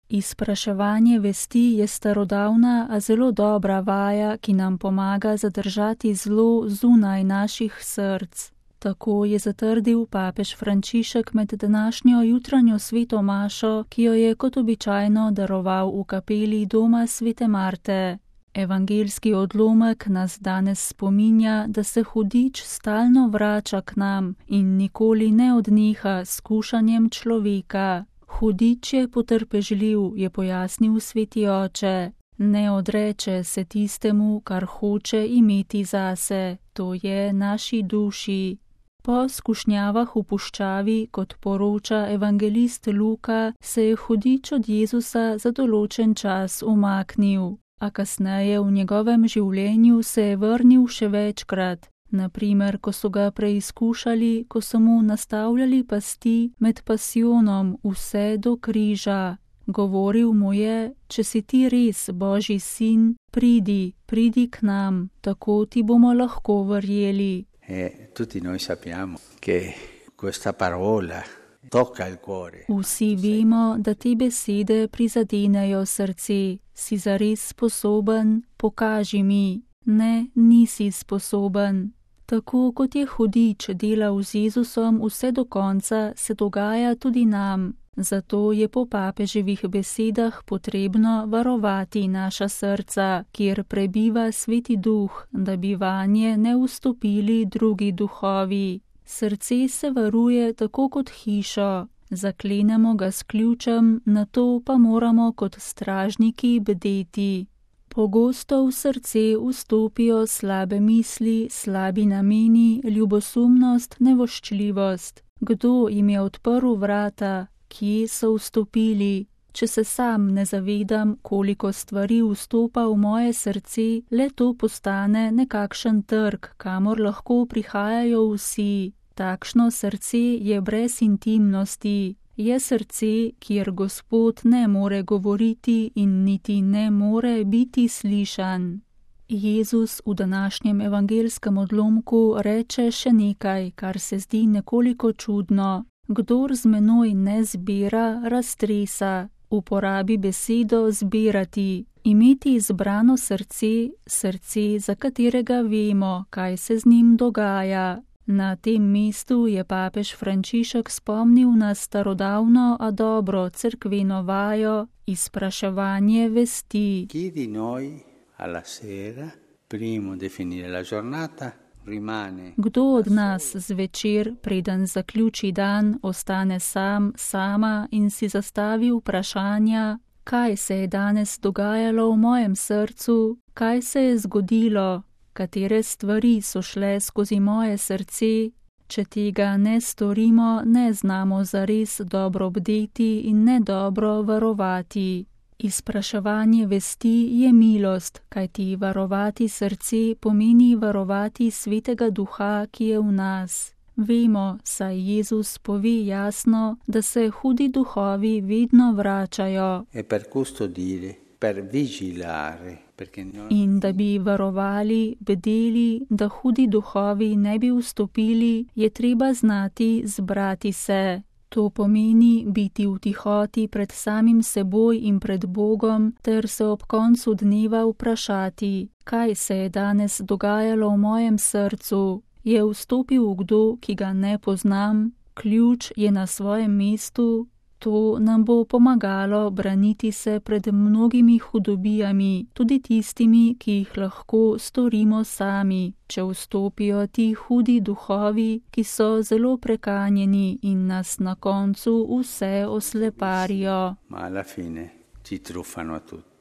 Izpraševanje vesti je starodavna, a zelo dobra vaja, ki nam pomaga zadržati zlo zunaj naših src. Tako je zatrdil papež Frančišek med današnjo jutranjo sveto mašo, ki jo je kot običajno daroval v kapeli doma svete Marte. Evangeljski odlomek nas danes spominja, da se hudič stalno vrača k nam in nikoli ne odneha s skušanjem človeka. Hudič je potrpežljiv, je pojasnil sveti oče. Ne odreče se tistemu, kar hoče imeti zase, to je naši duši. Po skušnjavah v puščavi, kot poroča evangelist Luka, se je hudič od Jezusa za določen čas umaknil, a kasneje v njegovem življenju se je vrnil še večkrat. Naprimer, ko so ga preizkušali, ko so mu nastavljali pasti med pasijonom vse do križa. Govoril mu je, če si ti res Božji sin, pridi k nam, tako ti bomo lahko verjeli. Tutti noi sappiamo che questa parola tocca il cuore. Vsi vemo, da te besede prizadenejo srce. Si zares sposoben, pokaži mi. Ne, nisi sposoben. Tako kot je hudič delal z Jezusom vse do konca, se dogaja tudi nam. Zato je po papeževih besedah potrebno varovati naša srca, kjer prebiva sveti duh, da bi vanje ne vstopili drugi duhovi. Srce se varuje tako kot hišo. Zaklenemo ga s ključem, nato pa moramo kot stražniki bdeti. Pogosto v srce vstopijo slabe misli, slabi nameni, ljubosumnost, nevoščljivost. Kdo jim je odprl vrata? Kje so vstopili? Če se sam ne zavedam, koliko stvari vstopa v moje srce, le to postane nekakšen trg, kamor lahko prihajajo vsi. Takšno srce je brez intimnosti. Je srce, kjer Gospod ne more govoriti in niti ne more biti slišan. Jezus v današnjem evangeljskem odlomku reče še nekaj, kar se zdi nekoliko čudno. Kdor z menoj ne zbira, raztresa. Uporabi besedo zbirati. Imeti izbrano srce, srce, za katerega vemo, kaj se z njim dogaja. Na tem mestu je papež Frančišek spomnil na starodavno, a dobro cerkveno vajo, izpraševanje vesti. Chi di noi alla sera, prima di finire la giornata, rimane. Kdo od nas zvečer, preden zaključi dan, ostane sam, sama in si zastavi vprašanja, kaj se je danes dogajalo v mojem srcu, kaj se je zgodilo, katere stvari so šle skozi moje srce. Če tega ne storimo, ne znamo zares dobro bdeti in ne dobro varovati. Izpraševanje vesti je milost, kajti varovati srce pomeni varovati svetega duha, ki je v nas. Vemo, saj Jezus pove jasno, da se hudi duhovi vedno vračajo. In da bi varovali, bdeli, da hudi duhovi ne bi vstopili, je treba znati zbrati se. To pomeni biti v tihoti pred samim seboj in pred Bogom, ter se ob koncu dneva vprašati, kaj se je danes dogajalo v mojem srcu. Je vstopil kdo, ki ga ne poznam? Ključ je na svojem mestu? To nam bo pomagalo braniti se pred mnogimi hudobijami, tudi tistimi, ki jih lahko storimo sami, če vstopijo ti hudi duhovi, ki so zelo prekanjeni in nas na koncu vse osleparijo. Ma alla fine ci truffano tutti.